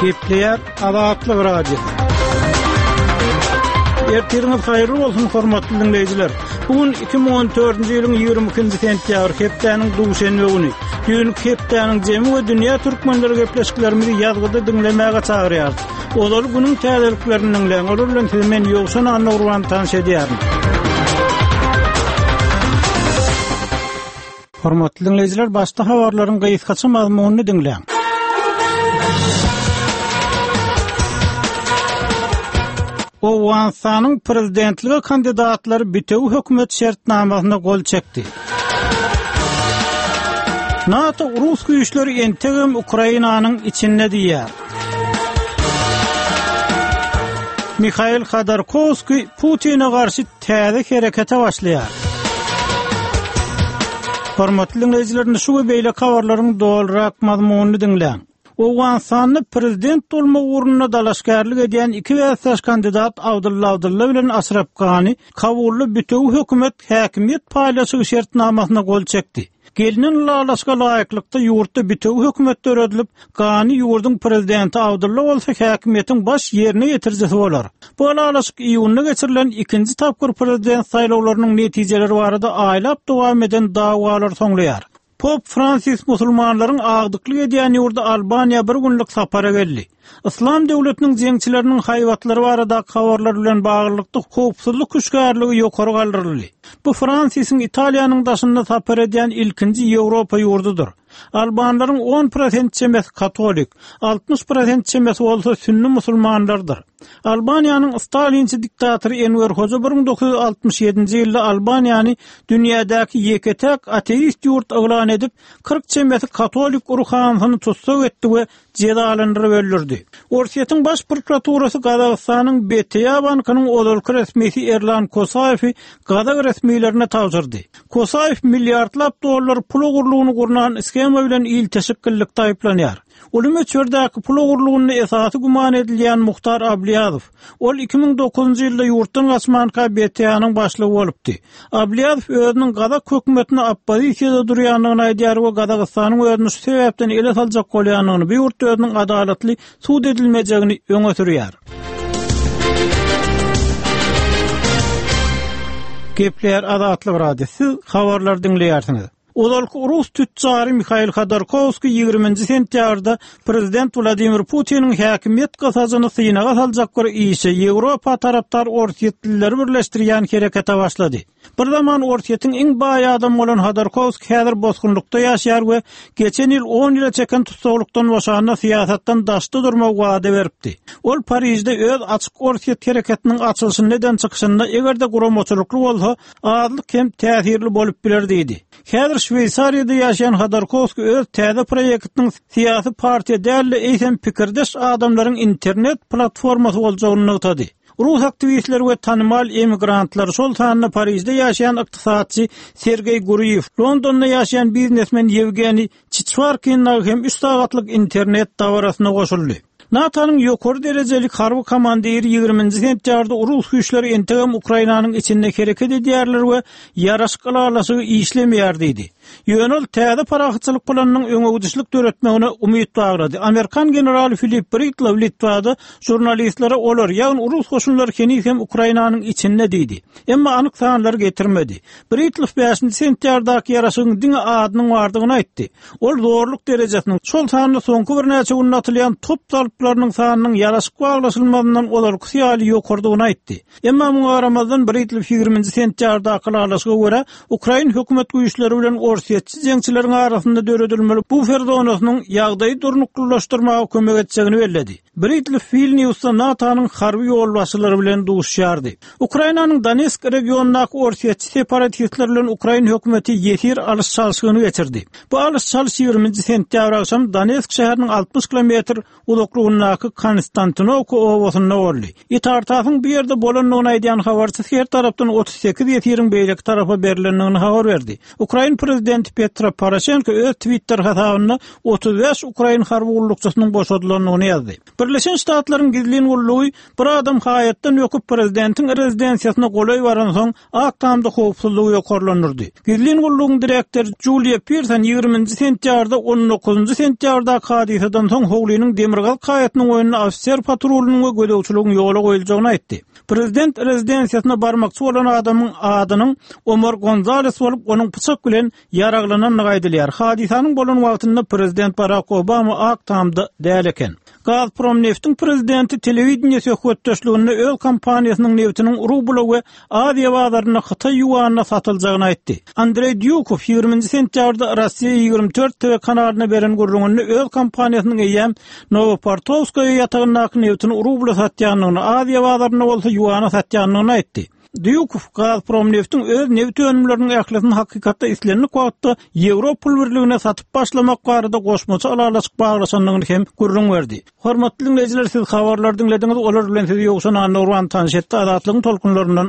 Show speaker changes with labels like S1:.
S1: Gepleýär Azatlyk Radiosy. Ertiriňiz haýyrly bolsun, hormatly diňleýjiler. Bu gün 2014-nji ýylyň 22-nji sentýabr, hepdäniň duşenbe güni. Düýnki hepdäniň jemi we dünýä türkmenleri gepleşiklerimizi ýazgyda diňlemäge çagyrýarys. Ozal günüň täzeliklerini diňläň, olar bilen sizi men Ýowşan Annagurban tanyş edýärin. Hormatly diňleýjiler, başda habarlaryň gysgaça mazmunyny diňläň. Owganystanyň prezidentlige kandidatlary bitewi hökümet şertnamasyna gol çekdi. NATO rus güýçleri entegem Ukrainanyň içinde diýýär. Mihail Hodorkowskiý Putine garşy täze herekete başlaýar. Hormatly diňleýjiler, indi şu we beýleki habarlaryň dolurak mazmunyny diňläň. Owganystanda prezident bolmak ugrunda dalaşgärlik edýän iki bäsdeş kandidat Abdylla Abdylla bilen Aşraf Gani Kabulda bütewi hökümet häkimiýet paýlaşygy şertnamasyna gol çekdi. Gelnen ylalaşyga laýyklykda, ýurtda bitewi hökümet döredilip, Gani ýurduň prezidenti, Abdylla bolsa häkimiýetiň baş ýerine ýetirijisi bolar. Bu ylalaşyk iýunda geçirilen ikinji tapgyr prezident saýlawlarynyň netijeleri barada aýlap dowam eden dawalary soňlaýar. Pop Fransis musulmanlaryň agdyklyk edýän ýurdy Albaniýa bir günlük sapara geldi. Yslam döwletiniň jeňçileriniň haýbatlary baradaky habarlar bilen baglylykda howpsuzlyk hüşgärligi ýokary galdyryldy. Bu Fransisiň Italiýanyň daşynda sapar edýän ilkinji Ýewropa ýurdudyr. Albanlaryň on prosent çemesi katolik, 60 prosent çemesi bolsa sünni musulmanlardyr. Albaniýanyň stalinçi diktatory Enwer Hoja 1967-nji ýylda Albaniýany dünýädäki ýeke-täk ateist ýurt yglan edip, 40 çemesi katolik ruhanysyny tussag etdi we jezalandyryp öldürdi. Orsýetiň Baş prokuraturasy Gazagystanyň BTA bankynyň ozalky resmisi Erlan Kosaýewi gazak resmilerine tabşyrdy. Kosaýew milliardlap dollar pul ogurlygyny gurnan shema bilen ilteşiklilikde aýyplanýar. Uly möçberdäki pul ogurlygynda esasy güman edilýän Muhtar Ablýazow, Ol 2009-njy ýylda ýurtdan gaçmanka BTA-nyň başlygy bolupdy. Ablýazow özüniň gazak hökümetine oppozisiýada durýandygyny aýdýar we Gazagystanyň özüni şu sebäpden ele saljak bolýandygyny, bu ýurtda özüniň adalatly sud edilmejegini öňe sürýär. Gepleýär Azatlyk Radiosy, siz habarlary diňleýärsiňiz. Ozalky rus tütjary Mihail Hodorkowskiý ýigriminji sentýabrda prezident Wladimir Putiniň häkimiýet gysajyny synaga saljak bir işe, Ýewropa tarapdar orsýetlileri birleşdirýän herekete başlady. Bir zaman Orsýetiň iň baý adamy bolan Hodorkowskiý häzir bosgunlykda ýaşaýar we geçen ýyl on ýyla çeken tussaglykdan boşanda syýasatdan daşda durmagy wada beripdi. Ol Parižde öz Açyk Orsýet hereketiniň açylyşynda eden çykyşynda eger-de guramaçylykly bolsa, azlyk hem täsirli bolup biler diýdi. Häzir Şweýsariýada ýaşaýan Hodorkowskiý öz täze proýektiniň syýasy partiýa däl-de, eýsem pikirdeş adamlaryň internet platformasy boljagyny nygtady. Rus aktiwistleri we tanymal emigrantlar, şol sanda Parižde ýaşaýan ykdysatçy Sergeý Gurýew, Londonda ýaşaýan biznesmen Ýewgeniý Çiçwarkin dagy hem üç sagatlyk internet dabarasyna goşuldy. NATO-nyň ýokary derejeli harby komandiri ýigriminji sentýabrda rus güýçleri entegem Ukrainanyň içinde hereket edýärler we ýaraşyk ylalaşygy işlemeýär diýdi. Ýöne ol täze parahatçylyk planynyň öňegidişlik döretmegine umyt baglady. Amerikan generaly Filip Britlow Litwada žurnalistlere olar, ýagny rus goşunlary heniz hem Ukrainanyň içinde diýdi. Emma anyk sanlary getirmedi. Britlow bäşinji sentýabrdaky ýaraşygyň diňe adynyň bardygyny aýtdy. Ol zorluk derejesiniň, şol sanda soňky birnäçe günde atylýan top zalplarynyň sanynyň ýaraşyk baglaşylmazyndan ozalkysy ýaly ýokarydygyny aýtdy. Emma muňa garamazdan, Britlow ýigriminji sentýabrdaky ylalaşyga görä, ukrain hökümet güýçleri bilen orsýetçi jeňçileriň arasynda döredilmeli bufer zonasynyň ýagdaýy durnuklylaşdyrmaga kömek etjegini belledi. Britlow Wilniusda NATO-nyň harby ýolbaşçylary bilen duşuşýardy. Ukrainanyň Donetsk regionyndaky orsýetçi separatistler bilen ukrain hökümeti ýesir alyş-çalşygyny geçirdi. Bu alyş-çalyş ýigriminji sentýabr agşam Donetsk şäheriniň 60 kilometr uzaklygyndaky Konstantinowka obasynda boldy. Itar-TASS-yň bu ýerde bolandygyny aýdýan habarçysy her tarapdan 38 ýesiriň beýleki tarapa berlendigini habar berdi. Ukrain prezidenti. prezidenti Petro Poroşenko öz Twitter hasabynda 35 ukrain harby gullukçysynyň boşadylandygyny ýazdy. Birleşen Ştatlaryň gizlin gullugy bir adam haýatdan böküp prezidentiň rezidensiýasyna golaý baransoň, Ak Tamda howpsuzlygy ýokarlandyrdy. Gizlin gullugyň direktory Juliýa Pirson ýigriminji sentýabrda on dokuzynjy sentýabrdaky hadysadan soň howlynyň demirgazyk haýatynyň boýunda ofiser patrulynyň we gözegçiligiň ýola goýuljagyny aýtdy. Prezident rezidensiýasyna barmakçy bolan adamyň adynyň Omar Gonzales bolup, onuň pyçak bilen ýaraglanandygy aýdylýar. Hadysanyň bolan wagtynda prezident Barak Obama Ak Tamda däl eken. Gazpromneftiň prezidenti telewideniýe söhbetdeşliginde öz kompaniýasynyň nebtiniň rubla we Aziýa bazarynda hytaý ýuanyna satyljagyny aýtdy. Andreý Dýukow ýigriminji sentýabrda Rossiýa 24 TV kanalyna beren gürrüňinde öz kompaniýasynyň eýýäm Nowoportowskaýa ýatagyndaky nebtini rubla satýandygyny, Aziýa bazarynda bolsa ýuana satýandygyny aýtdy. Dýukow Gazpromneftiň öz nebit önümleriniň ählisini hakykatda islendik wagtda Ýewro pul birligine satyp başlamak barada goşmaça ylalaşyk baglaşandygyny hem gürrüň berdi. Hormatly diňleýjiler, siz habarlary diňlediňiz, olar bilen sizi Ýowşan Annagurban tanyş etdi. Azatlygyň tolkunlaryndan.